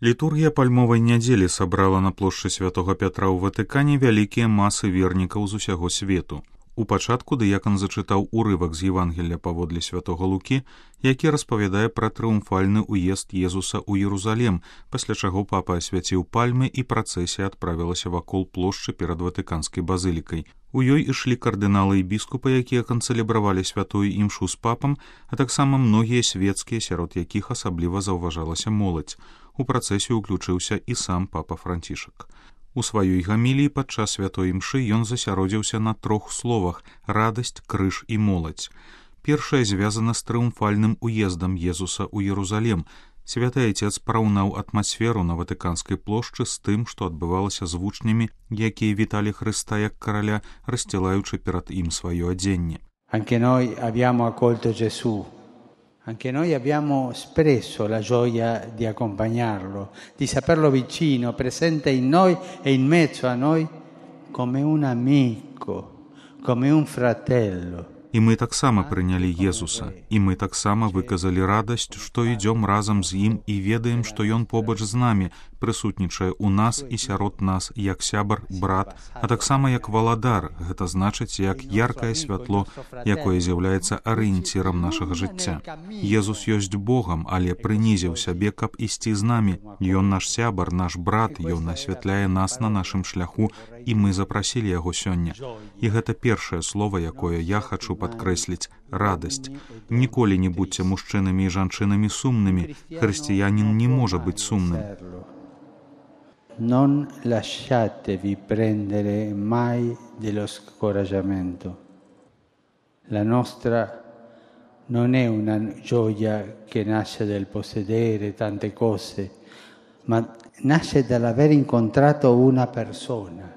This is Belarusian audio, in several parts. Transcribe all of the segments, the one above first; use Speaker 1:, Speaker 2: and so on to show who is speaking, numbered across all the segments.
Speaker 1: Літургія пальмовай нядзелі сабрала на плошчы святога Пятра ў Ватыкане вялікія масы вернікаў з усяго свету. У пачатку дыякан зачытаў урывак з Евангелля паводле святога Лукі, які распавядае пра трыумфальны ўезд Езуса ў Єрусалем, пасля чаго папа асвяціў пальмы і працэсія адправілася вакол плошчы перад Ватыканскай базылікай. У ёй ішлі кардыналы і біскупы, якія канцэлебравалі святую імшу з папам, а таксама многія свецкія, сярод якіх асабліва заўважалася моладзь. У працэсію ўключыўся і сам папа Францішак. У сваёй гаміліі падчас святой імшы ён засяродзіўся на 3 словах: радасць, крыж і моладзь. Першае звязана з трыумфальным уездам Езуса ў Єрусалем. Святы Айцец параўнаў атмасферу на Ватыканскай плошчы з тым, што адбывалася з вучнямі, якія віталі Хрыста як караля, рассцілаючы перад ім сваё адзенне.
Speaker 2: Anche noi abbiamo accolto Gesù. Anche noi abbiamo espresso la gioia di accompagnarlo, di saperlo vicino, presente in noi e in mezzo a noi come un amico, come un fratello.
Speaker 1: І мы таксама прынялі Езуса, і мы таксама выказалі радасць, што ідзём разам з ім і ведаем, што ён побач з намі, прысутнічае ў нас і сярод нас як сябар, брат, а таксама як валадар, гэта значыць як яркае святло, якое з'яўляецца арыенцірам нашага жыцця. Езус ёсць Богам, але прынізіў сябе, каб ісці з намі. Ён наш сябар, наш брат, ён асвятляе нас на нашым шляху, і мы запрасілі яго сёння. І гэта першае слова, якое я хачу падкрэсліць — радасць. Ніколі не будьце мужчынамі і жанчынамі сумнымі. Хрысціянін не можа быць сумным.
Speaker 2: Non lasciatevi prendere mai dello scoraggiamento. La nostra non è una gioia che nasce dal possedere tante cose, ma nasce dall'aver incontrato una persona,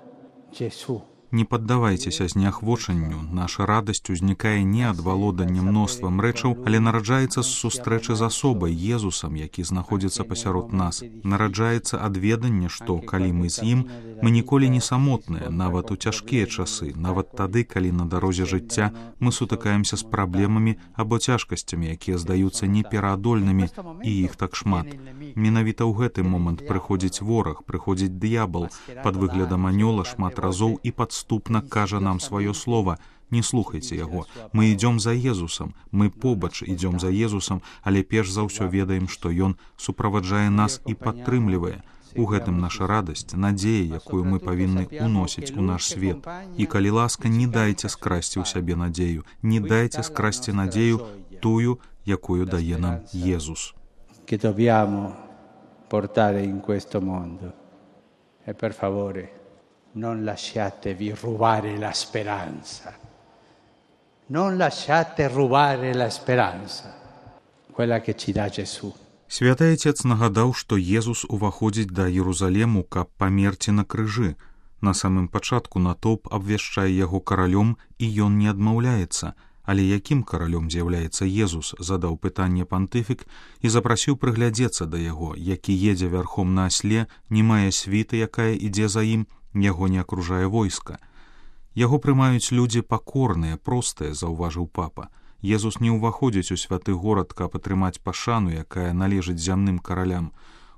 Speaker 2: Gesù.
Speaker 1: Не паддавайцеся зняхвочанню. Наша радасць узнікае не ад валодання мноствам рэчаў, але нараджаецца з сустрэчы з асобай, Езусам, які знаходзіцца пасярод нас. Нараджаецца ад ведання, што, калі мы з ім, мы ніколі не самотныя, нават у цяжкія часы, нават тады, калі на дарозе жыцця мы сутыкаемся з праблемамі або цяжкасцямі, якія здаюцца непераадольнымі, і іх так шмат. Менавіта ў гэты момант прыходзіць вораг, прыходзіць д'ябал, пад выглядам анёла шмат разоў і падступна кажа нам сваё слова: не слухайце яго, мы ідзём за Езусам, мы побач ідзём за Езусам, але перш за ўсё ведаем, што ён суправаджае нас і падтрымлівае. У гэтым наша радасць, надзея, якую мы павінны уносіць у наш свет. І калі ласка, не дайце скрасці ў сябе надзею, не дайце скрасці надзею тую, якую дае нам Езус.
Speaker 2: Che dobbiamo portare in questo mondo. E per favore, non lasciatevi rubare la speranza. Non lasciate rubare la speranza, quella che ci dà Gesù.
Speaker 1: Святы Айцец нагадаў, што Езус уваходзіць да Єрусалему, каб памерці на крыжы. На самым пачатку натоўп абвяшчае яго каралём, і ён не адмаўляецца. Але якім каралём з'яўляецца Езус, задаў пытанне пантыфік і запрасіў прыглядзецца да яго, які едзе вярхом на асле, не мае світы, якая ідзе за ім, яго не акружае войска. Яго прымаюць людзі пакорныя, простыя, заўважыў папа. Езус не ўваходзіць у святы горад, каб атрымаць пашану, якая належыць зямным каралям.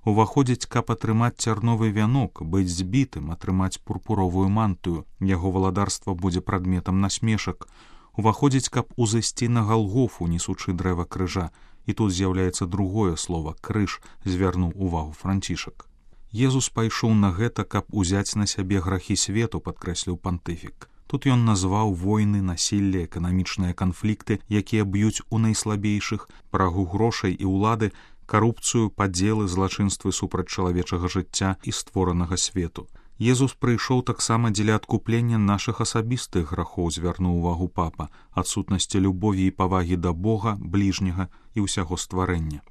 Speaker 1: Уваходзіць, каб атрымаць цярновы вянок, быць збітым, атрымаць пурпуровую мантыю. Яго валадарства будзе прадметам насмешак. Уваходзіць, каб узысці на Галгофу, несучы дрэва крыжа. І тут з'яўляецца другое слова — крыж, звярнуў увагу Францішак. Езус пайшоў на гэта, каб узяць на сябе грахі свету, падкрэсліў пантыфік. Тут ён назваў войны, насілле, эканамічныя канфлікты, якія б'юць у найслабейшых, прагу грошай і ўлады, карупцыю, падзелы, злачынствы супраць чалавечага жыцця і створанага свету. Езус прыйшоў таксама дзеля адкуплення нашых асабістых грахоў, звярнуў увагу папа, адсутнасці любові і павагі да Бога, бліжняга і ўсяго стварэння.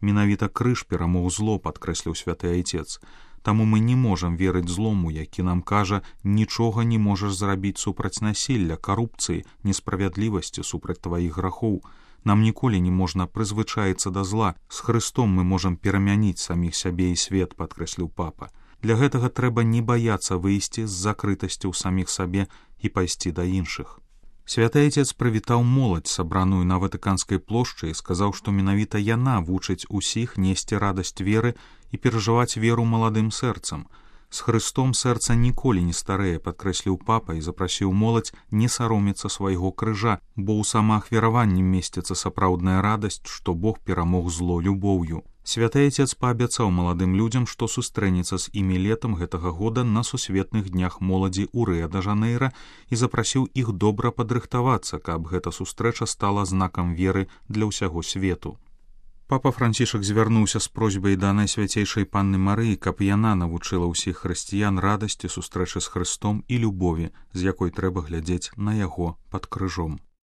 Speaker 1: Менавіта крыж перамог зло, падкрэсліў святы Айцец. Таму мы не можам верыць злому, які нам кажа: нічога не можаш зрабіць супраць насілля, карупцыі, несправядлівасці, супраць тваіх грахоў. Нам ніколі не можна прызвычаіцца да зла. З Хрыстом мы можам перамяніць саміх сябе і свет, падкрэсліў папа. Для гэтага трэба не баяцца выйсці з закрытасці ў саміх сабе і пайсці да іншых. Святы Айцец прывітаў моладзь, сабраную на Ватыканскай плошчы, і сказаў, што менавіта яна вучыць усіх несці радасць веры і перажываць веру маладым сэрцам. З Хрыстом сэрца ніколі не старэе, падкрэсліў папа і запрасіў моладзь не саромецца свайго крыжа, бо ў самаахвяраванні месціцца сапраўдная радасць, што Бог перамог зло любоўю. Святы Айцец паабяцаў маладым людзям, што сустрэнецца з імі летам гэтага года на сусветных днях моладзі ў Рыа-дэ-Жанэйра і запрасіў іх добра падрыхтавацца, каб гэта сустрэча стала знакам веры для ўсяго свету. Папа Францішак звярнуўся з просьбай да Найсвяцейшай Панны Марыі, каб яна навучыла ўсіх хрысціян радасці сустрэчы з Хрыстом і любові, з якой трэба глядзець на яго пад крыжом.